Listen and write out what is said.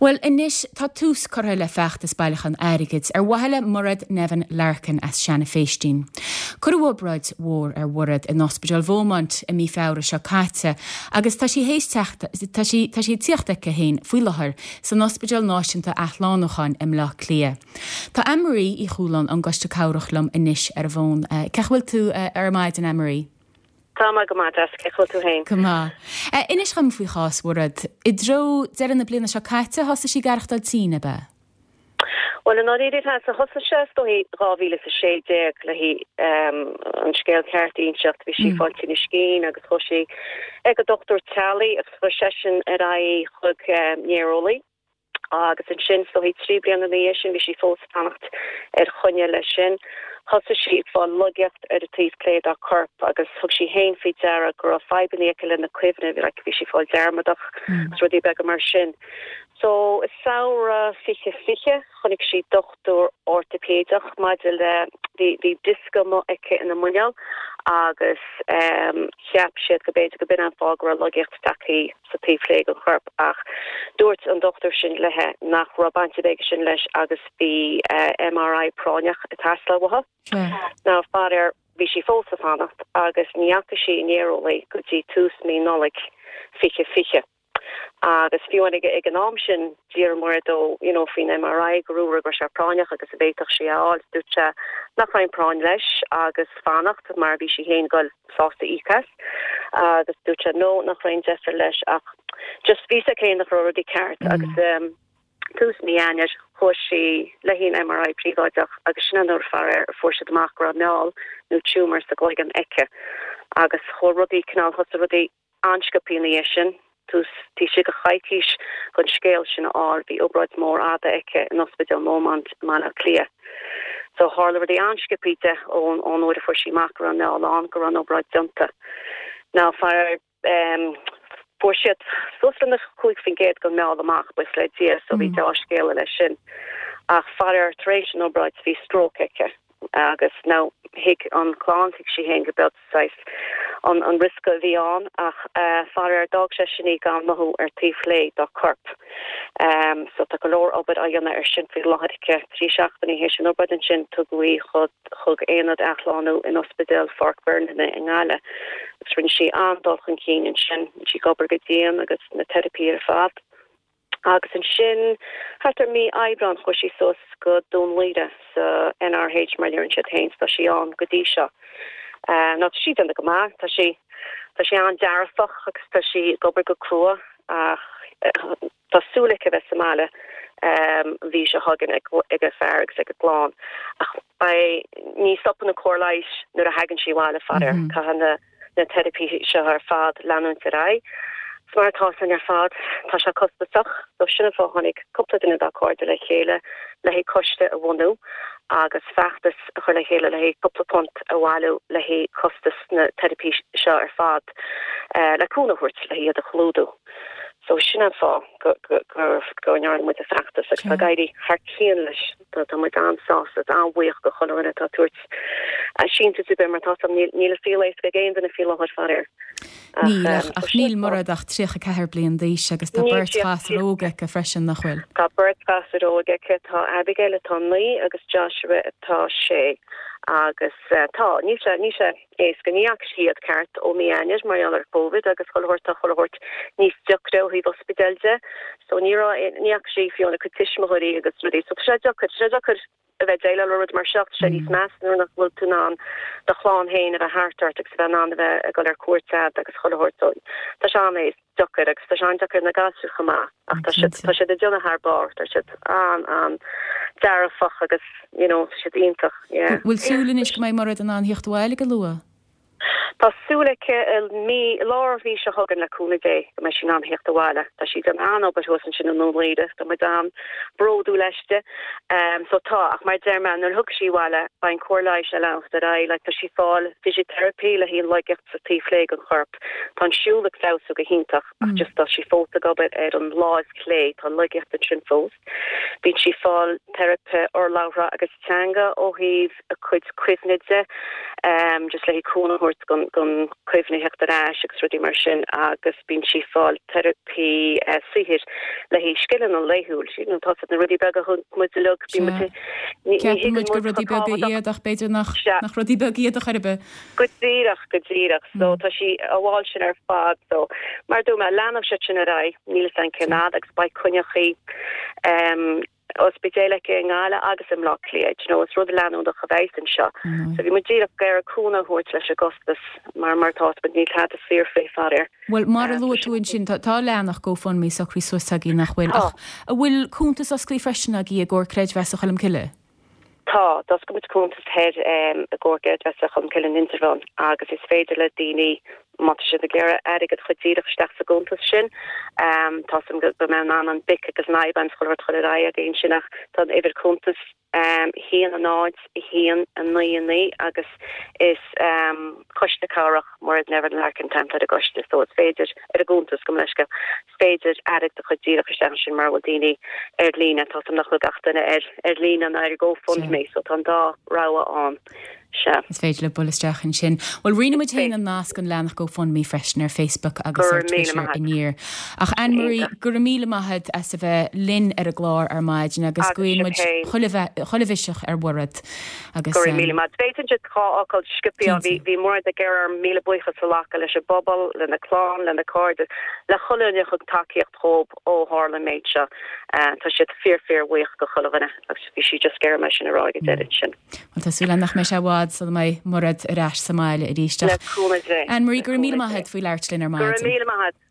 Bhuel, anois tá tús curtha le feachtas bailiúchán airgid ar mhaithe le Mairéad Nevin Larkin as Seanadh Phéistín. Cuireadh obráid mhór ar Mhairéad in Ospidéal Bheaumont i mí Feabhra seo caite agus tá sí théis teacht, tá sí, tá sí ag tíocht aici féin faoi láthair san Ospidéal Náisiúnta Athshlánúcháin i mBleá Cliath. Tá Anne Marie Uí Chualáin ón gCoiste Cabhrach liom anois ar an bhfón. Cén chaoi a bhfuil tú ar maidin, Anne Marie? Tá mé go maith, Jessica, cén chaoi a bhfuil tú féin? Go maith. Inis dhom faoi chás Mhairéad. I dtreo deireadh na bliana seo caite, thosaigh sí ag aireachtáil tinn, ab ea? Bhuel, i ndáiríre, thosaigh sé, is dóigh, 2016 le an scéal ceart a inseacht. Bhí sí ag fáil tinnis cinn agus chuaigh sí ag a dochtúir teaghlaigh agus chuir seisean ar aghaidh í chuig néareolaí. Agus ansin, is dóigh, 3 bliana ina dhiaidh sin, bhí sí fós ag fanacht ar choinne leis sin. Thosaigh sí ag fáil laigeacht ar an taobh clé dá corp agus thug sí féin faoi deara go raibh fadhbanna aici lena cuimhne, like, bhí sí ag fáil dearmadach agus rudaí beaga mar sin. So, i samhradh 2020, chonaic sí dochtúir ortaipéideach maidir le, bhí, bhí diosca amuigh aici ina muineál agus ehm, cheap siad go b'fhéidir go b'in an fáth go raibh laigeacht tagtha sa taobh clé den chorp ach dúirt an dochtúir sin léi nach raibh baint ar bith aige sin leis agus bhí MRI práinneach ag teastáil uathu. Now faraor bhí sí fós ag fanacht agus ní fhaca sí an néareolaí go dtí tús mí Nollaig 2020 agus fiú amháin ag an am sin D'iarr Mairéad dó you know faoin MRI go raibh go raibh sé práinneach agus an bhféadfadh sí é a fháil. Dúirt sé nach raibh aon práinn leis agus fanacht mar bhí sí féin ag goil sásta íoc as agus dúirt sé no nach raibh aon deifir leis ach just bhí a fhios aici féin nach raibh rudaí ceart agus um, tús mí Eanáir chuaigh sí le haghaidh an MRI príobháideach agus sin an uair faraor a fuair siad amach go raibh meall nó tumour sa gcloigeann aici agus chuaigh rudaí cineál thosaigh rudaí an-sciobtha ina dhiaidh sin, tús taobh istigh de choicís den scéal sin a fháil, bhí obráid mhór fhada aici in Ospidéal Beaumont i mBaile Átha Cliath. So tharla rudaí an-sciobtha di ón ón uair a fuair sí amach go raibh an meall ann go raibh an obráid déanta. Now faraor em fuair siad suas le 5% den meall amach, buíochas le Dia, so bhí deá-scéala leis sin. Ach faraor tar éis an obráid bhí stroke aici agus now thuig an chlann, thuig sí féin go b'eod saghas an an riosca a bhí ann ach faraor d'fhág sé sin í gan mothú ar taobh chlé dá corp. So tá go leor obair á dhéanamh ar sin faoi láthair aici. 3 seachtainí théis an obráid ansin tugadh í chuig aonad athshlánú in Ospidéal Pháirc Bhernarnagh i nGaillimh agus rinne sí an-dul chun cinn ansin. Bhí sí ag obair go dian agus na teiripí ar fad. Agus ansin, thart ar mí Aibreáin, chuaigh sí suas go Dún Laoghaire sa NRH, mar a deireann siad féin, 's tá sí ann go dtí seo. Now, tá sí ag déanamh go maith, tá sí, tá sí an-dearfach agus tá sí ag obair go crua ach tá súil aici a bheith sa mbaile an mhí seo chugainn ag a fear agus ag a clann. Ach beidh, ní stopann an cóir leighis nuair a thagann sí abhaile, faraor. Caithfidh na. na teiripí seo ar fad leanúint ar aghaidh. 'S mar atá san ar fad, tá sé costasach, so sin an fáth tháinig cúpla duine dá cairde le chéile le haghaidh coiste a bhunú agus feachtas a chur le chéile le haghaidh cúpla punt a bhailiú le haghaidh costas na teiripí seo ar fad le cúnamh a thabhairt le iad a chlúdú. So sin an fáth go go ndearna muid an feachtas agus tá ag éirí thar cionn leis. Tá muid an-sásta agus an-bhuíoch do chuile dhuine atá ag tabhairt síntiús ar bith mar tá san, níl an saol éasca ag aon duine faoi láthair, faraor. Níl, ach níl Mairéad ach 34 bliain d'aois agus tá beirt ghasúr óg aici freisin, nach bhfuil? Tá beirt ghasúr óg aici, tá Abigail atá 9 agus Joshua atá 6 agus tá, níl sé, níl sé éasca. Ní fhaca sí iad ceart ó mí Eanáir mar gheall ar Covid agus chuile shórt, tá chuile shórt níos deacra ó thaobh ospidéil de so ní raibh, ní fhaca sí fiú a cuid tuismitheoirí agus rudaí so tá sé deacair, tá sé deacair a bheith ag déileáil le rud mar seo, tá sé níos measa nuair nach bhfuil tú in ann do chlann féin a bheith thart ort agus a bheith in ann a bheith ag dul ar cuairt agat agus chuile shórt so tá sé an-deacair agus tá sé an-deacair ar na gasúir chomh maith ach tá siad tá siad ag déanamh thar barr, tá siad an-an-dearfach agus you know tá siad iontach, yeah. Bhfuil súil anois go mbeidh Mairéad in ann theacht abhaile go luath? Tá súil aici i mí, i lár mhí seo chugainn le cúnamh Dé go mbeidh sí in ann theacht abhaile. Tá sí ag déanamh an-obair thuas ansin i nDún Laoghaire, tá muid an-bhródúil aisti. So tá, ach mar a deir mé, nuair a thiocfaidh sí abhaile beidh an cóir leighis ag leanacht ar aghaidh. Like tá sí ag fáil physiotherapy le haghaidh an laigeacht sa taobh chlé den chorp. Tá an siúl ag feabhsú go hiontach ach just tá sí fós ag obair ar an láimh chlé, tá laigeacht ansin fós. Bíonn sí ag fáil teiripe urlabhra agus teanga ó thaobh a cuid cuimhne de, just le cúnamh a thabhairt don don chuimhne a theacht ar ais agus rudaí mar sin agus bíonn sí ag fáil teiripí saothair le haghaidh scileanna laethúil. You know, tá na rudaí beaga a thugann muid uilig, bíonn muid, ní ní Ceapann muid gur rudaí beaga iad ach b'fhéidir nach nach rudaí beaga iad a chor ar bith. Go díreach, go díreach. So tá sí á bhfáil sin ar fad. So mar a dúirt mé, leanfaidh siad sin ar aghaidh, níl fhios agam cén fhad agus beidh coinneachaí ospidéil aici i nGaillimh agus i mBleá Cliath. Do you know, is rud leanúnach a bheas anseo. So bhí muid díreach ag iarraidh cúnamh a thabhairt leis an gcostas mar mar atá muid níl tada saor faoi faraor. Bhuel, mar a luaigh tú ansin, tá tá leathanach GoFundMe socraithe suas agaibh nach bhfuil? Ach an bhfuil cuntas osclaithe freisin agaibh i gComhar Creidmheasa Cholmcille? Tá, d'oscail muid cuntas thoir i gComhar Creidmheasa Cholmcille in Indreabhán agus is féidir le daoine, má tá siad ag iarraidh airgead a chur díreach isteach sa gcuntas sin, tá 's agam go mbeidh in ann an BIC agus an IBAN is chuile shórt a chur ar aghaidh againn sin ach tá an uimhir cuntais 1 0 1 9 9 agus is Coiste Cabhrach Mairéad Nevin Larkin an t-ainm atá ar an gcoiste so is féidir ar an gcuntas, gabh mo leithscéal, is féidir airgead a chur díreach isteach ansin mura bhfuil daoine ar líne. Tá 's agam nach bhfuil gach duine ar ar líne ná ar GoFundMe so tá an dá rogha ann. Sea. Is féidir libh bualadh isteach ansin. Bhuel, roinnfidh muid féin an nasc an leathanach GoFundMe freisin ar Facebook agus ar Twitter aniar. Ach Anne Marie, go raibh míle maith agat as a bheith linn ar an gclár ar maidin agus guíonn muid chuile mhiseach ar Mhairéad. Agus, Go raibh míle maith. B'fhéidir just dhá fhocal sciobtha, bhí bhí Mairéad ag iarraidh orm míle buíochas a ghlacadh leis an bpobal, lena clann, lena cairde, le chuile dhuine a thug tacaíocht dhóib ó tharla an méid seo. Tá siad fíor fíor bhuíoch go chuile dhuine agus bhí sí just ag iarraidh mé sin a rá ag an deireadh ansin. Bhuel tá súil agam nach mbeidh sé i bhfad sula mbeidh Mairéad ar ais sa mbaile arís. Le cúnamh Dé. Anne Marie, go raibh míle maith agat faoi labhairt linn ar maidin. Go raibh míle maith agat.